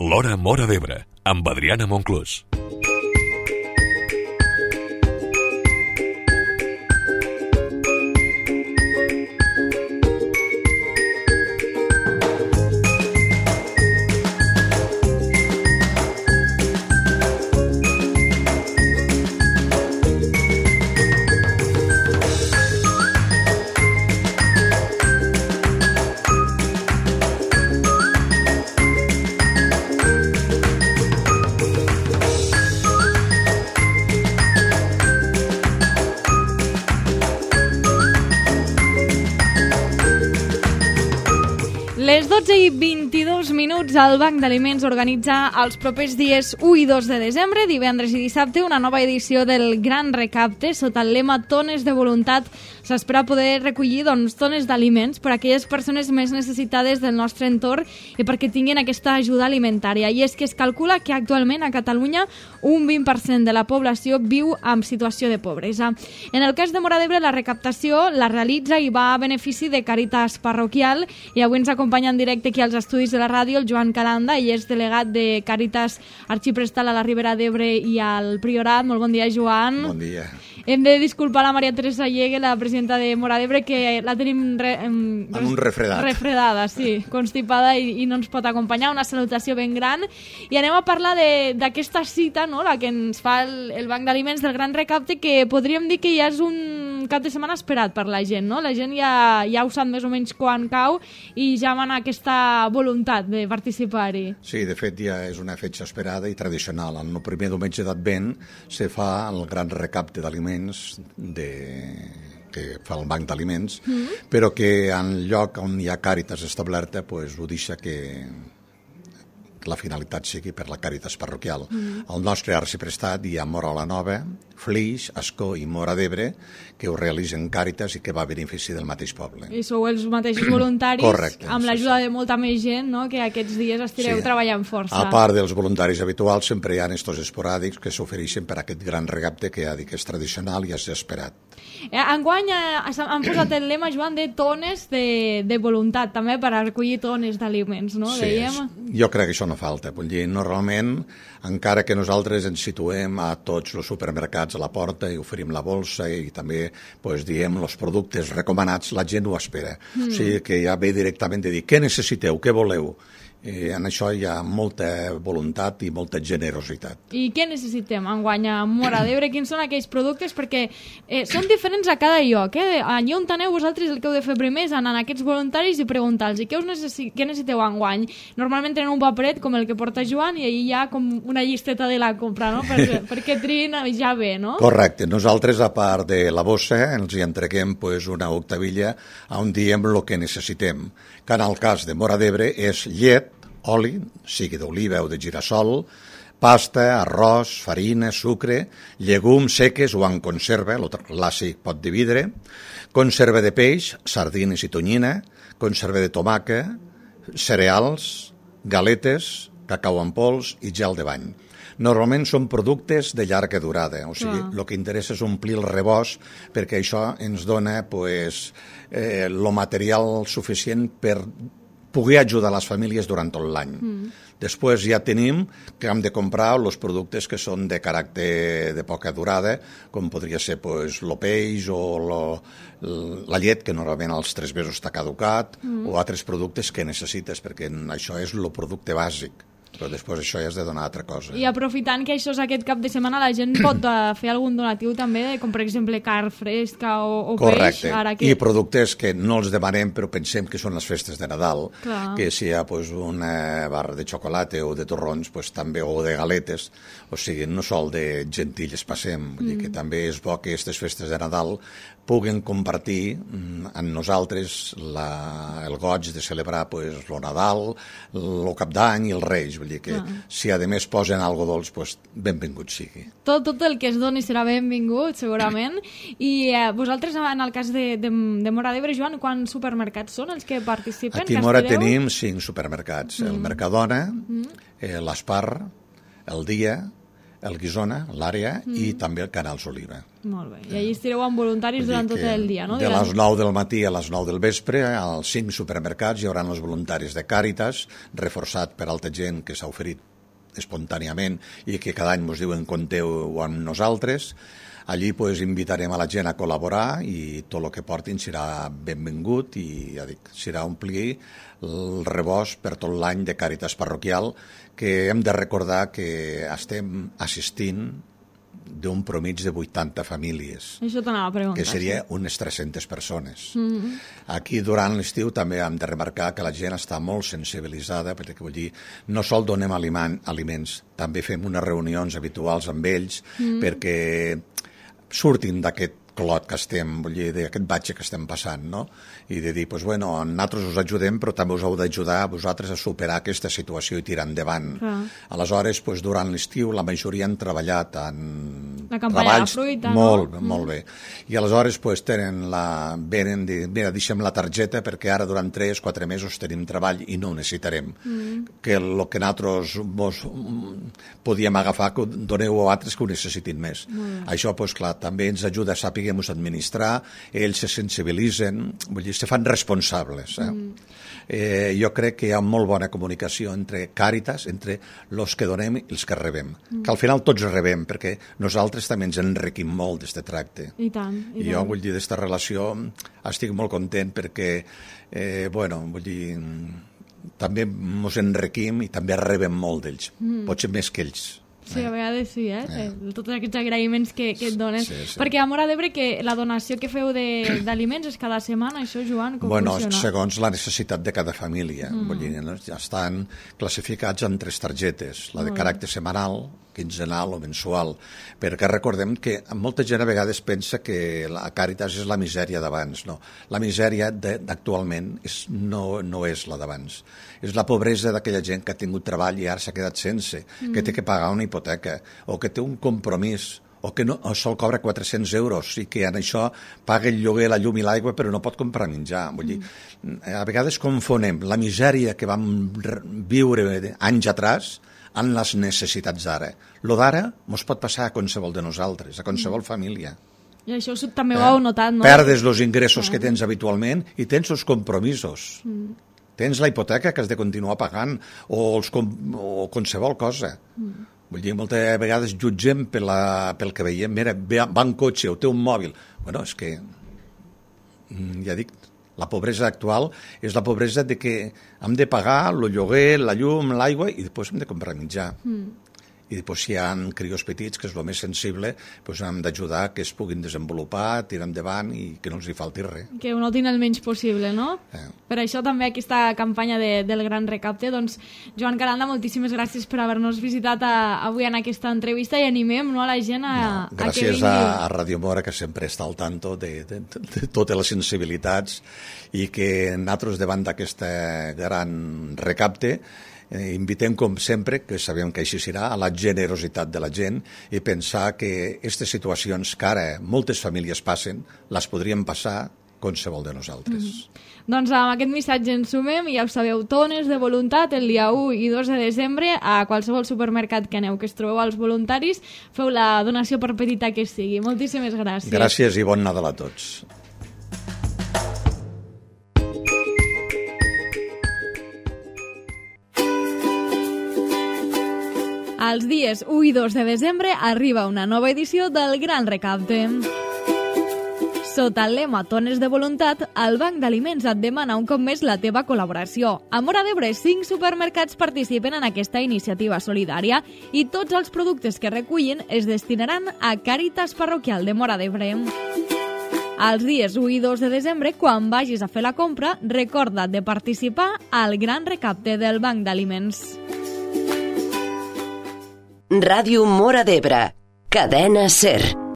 L'Hora Móra d'Ebre, amb Adriana Monclús. Les 12:22 el Banc d'Aliments organitza els propers dies 1 i 2 de desembre, divendres i dissabte, una nova edició del Gran Recapte sota el lema Tones de Voluntat. S'espera poder recollir tones d'aliments per a aquelles persones més necessitades del nostre entorn i perquè tinguin aquesta ajuda alimentària. I és que es calcula que actualment a Catalunya un 20% de la població viu en situació de pobresa. En el cas de Móra d'Ebre, la recaptació la realitza i va a benefici de Càritas Parroquial, i avui ens acompanya en directe aquí als estudis de la ràdio el Joan Calanda, ell és delegat de Càritas Arxiprestal a la Ribera d'Ebre i al Priorat. Molt bon dia, Joan. Bon dia. Hem de disculpar la Maria Teresa Llegue, la presidenta de Móra d'Ebre, que la tenim amb un refredat. Refredada, sí, constipada i no ens pot acompanyar. Una salutació ben gran. I anem a parlar d'aquesta cita, no?, la que ens fa el Banc d'Aliments del Gran Recapte, que podríem dir que ja és un cap de setmana esperat per la gent, no? La gent ja ho sap més o menys quan cau i ja van aquesta voluntat de participar-hi. Sí, de fet ja és una fetge esperada i tradicional. El primer diumenge d'Advent se fa el Gran Recapte d'Aliments que fa el Banc d'Aliments, però que en lloc on hi ha Càritas establerta ho deixa que la finalitat sigui per la Càritas Parroquial. Al nostre arxiprestat hi ha Móra la Nova, Flix, Ascó i Móra d'Ebre, que ho realitzen Càritas i que va a benefici del mateix poble. I sou els mateixos voluntaris. Correcte, amb l'ajuda de molta més gent, no?, que aquests dies estireu treballant força. A part dels voluntaris habituals, sempre hi ha estos esporàdics que s'ofereixen per aquest gran recapte que ja dic que és tradicional i és esperat. Enguany han posat el lema, Joan, de tones de voluntat, també per a recollir tones d'aliments, no? Sí, jo crec que això no falta. Vull dir, normalment, encara que nosaltres ens situem a tots els supermercats a la porta i oferim la bolsa i també diem els productes recomanats, la gent ho espera. O sigui que ja ve directament de dir què necessiteu, què voleu. En això hi ha molta voluntat i molta generositat. I què necessitem enguany a Móra d'Ebre? Quins són aquells productes? Perquè són diferents a cada lloc. Allà on aneu vosaltres, el que heu de fer primer és anar a aquests voluntaris i preguntar-los què necessiteu enguany. Normalment tenen un paperet com el que porta Joan i allà hi ha com una llisteta de la compra, no? perquè triïn ja bé, no? Correcte. Nosaltres, a part de la bossa, ens hi entreguem una octavilla on diem el que necessitem, que en el cas de Móra d'Ebre és llet, oli, sigui d'oliva o de girassol, pasta, arròs, farina, sucre, llegums seques o en conserva, el clàssic pot de vidre, conserva de peix, sardines i tonyina, conserva de tomàquet, cereals, galetes, cacau en pols i gel de bany. Normalment són productes de llarga durada, o sigui, el que interessa és omplir el rebost perquè això ens dona el material suficient per poder ajudar les famílies durant tot l'any. Després ja tenim que hem de comprar els productes que són de caràcter de poca durada, com podria ser el peix o la llet, que normalment als 3 mesos està caducat, o altres productes que necessites, perquè això és el producte bàsic. Però després això ja has de donar altra cosa. I aprofitant que això és aquest cap de setmana, la gent pot fer algun donatiu també, com per exemple carn fresca o peix. Correcte, i productes que no els demanem però pensem que són les festes de Nadal, que si hi ha una barra de xocolata o de torrons també, o de galetes, o sigui, no sol de gentilles passem, vull dir que també és bo que aquestes festes de Nadal puguen compartir amb nosaltres el goig de celebrar el Nadal, el Cap d'Any i els Reis. Vull dir que si a més posen alguna cosa dolç, benvingut sigui. Tot el que es doni serà benvingut, segurament. I vosaltres, en el cas de Móra d'Ebre, Joan, quants supermercats són els que participen? Aquí a Móra tenim 5 supermercats. El Mercadona, l'Espar, el Dia, el Guissona, l'àrea, i també el Canals Oliva. Molt bé. I allà estireu amb voluntaris durant tot el dia, no? De les 9 del matí a les 9 del vespre, als 5 supermercats hi haurà els voluntaris de Càritas, reforçat per altra gent que s'ha oferit espontàniament i que cada any ens diuen compteu amb nosaltres. Allí invitarem a la gent a col·laborar i tot el que portin serà benvingut i ja dic, serà omplir el rebost per tot l'any de Càritas parroquial, que hem de recordar que estem assistint d'un promig de 80 famílies. Això t'anava a preguntar. Que seria unes 300 persones. Aquí durant l'estiu també hem de remarcar que la gent està molt sensibilitzada, perquè vull dir, no sol donem aliments, també fem unes reunions habituals amb ells perquè surtin d'aquest clot que estem, vull dir, d'aquest batxe que estem passant, no? I de dir, doncs, bueno, nosaltres us ajudem, però també us heu d'ajudar a vosaltres a superar aquesta situació i tirar endavant. Aleshores, doncs, durant l'estiu, la majoria han treballat en treballs molt bé. I aleshores, doncs, venen dir, mira, deixem la targeta perquè ara durant 3-4 mesos tenim treball i no ho necessitarem. Que el que nosaltres podíem agafar, que doneu a altres que ho necessitin més. Això, doncs, clar, també ens ajuda a saber administrar, ells se sensibilitzen, vull dir, se fan responsables. Jo crec que hi ha molt bona comunicació entre Càritas, entre els que donem i els que rebem. Que al final tots rebem, perquè nosaltres també ens enriquim molt d'aquest tracte. I tant. I jo, vull dir, d'aquesta relació estic molt content perquè, vull dir, també ens enriquim i també rebem molt d'ells. Potser més que ells. Sí, a vegades sí, tots aquests agraïments que et donen. Perquè a Móra d'Ebre, que la donació que feu d'aliments és cada setmana, això, Joan, com funciona? Segons la necessitat de cada família. Vull dir, ja estan classificats en 3 targetes, la de caràcter setmanal, quinzenal o mensual, perquè recordem que molta gent a vegades pensa que la Càritas és la misèria d'abans. No, la misèria d'actualment no és la d'abans. És la pobresa d'aquella gent que ha tingut treball i ara s'ha quedat sense, que té que pagar una hipoteca, o que té un compromís, o que sol cobra 400 euros i que en això paga el lloguer, la llum i l'aigua, però no pot comprar menjar. Vull dir, a vegades confonem la misèria que vam viure anys atrás en les necessitats d'ara. Lo d'ara ens pot passar a qualsevol de nosaltres, a qualsevol família. I això també ho heu notat, no? Perdes els ingressos que tens habitualment i tens els compromisos. Tens la hipoteca que has de continuar pagant o qualsevol cosa. Vull dir, moltes vegades jutgem pel que veiem. Mira, va en cotxe o té un mòbil. Bueno, és que, ja dic, la pobresa actual és la pobresa de que hem de pagar el lloguer, la llum, l'aigua i després hem de comprar menjar. I després si hi ha crios petits, que és el més sensible, hem d'ajudar que es puguin desenvolupar, tirar endavant i que no els hi falti res. Que ho notin el menys possible, no? Per això també aquesta campanya del Gran Recapte. Doncs, Joan Caranda, moltíssimes gràcies per haver-nos visitat avui en aquesta entrevista i animem a la gent a que vingui. Gràcies a Radio Mora, que sempre està al tanto de totes les sensibilitats i que nosaltres davant d'aquest gran recapte invitem, com sempre, que sabem que així serà, a la generositat de la gent i pensar que aquestes situacions que ara moltes famílies passen, les podríem passar qualsevol de nosaltres. Doncs amb aquest missatge ens sumem i ja ho sabeu, tones de voluntat el dia 1 i 2 de desembre a qualsevol supermercat que aneu, que es trobeu als voluntaris, feu la donació per petita que sigui. Moltíssimes gràcies. Gràcies i bon Nadal a tots. Els dies 1 i 2 de desembre arriba una nova edició del Gran Recapte. Sota el lema Tones de Voluntat, el Banc d'Aliments et demana un cop més la teva col·laboració. A Móra d'Ebre, 5 supermercats participen en aquesta iniciativa solidària i tots els productes que recullin es destinaran a Càritas Parroquial de Móra d'Ebre. Els dies 1 i 2 de desembre, quan vagis a fer la compra, recorda't de participar al Gran Recapte del Banc d'Aliments. Ràdio Móra d'Ebre, cadena SER.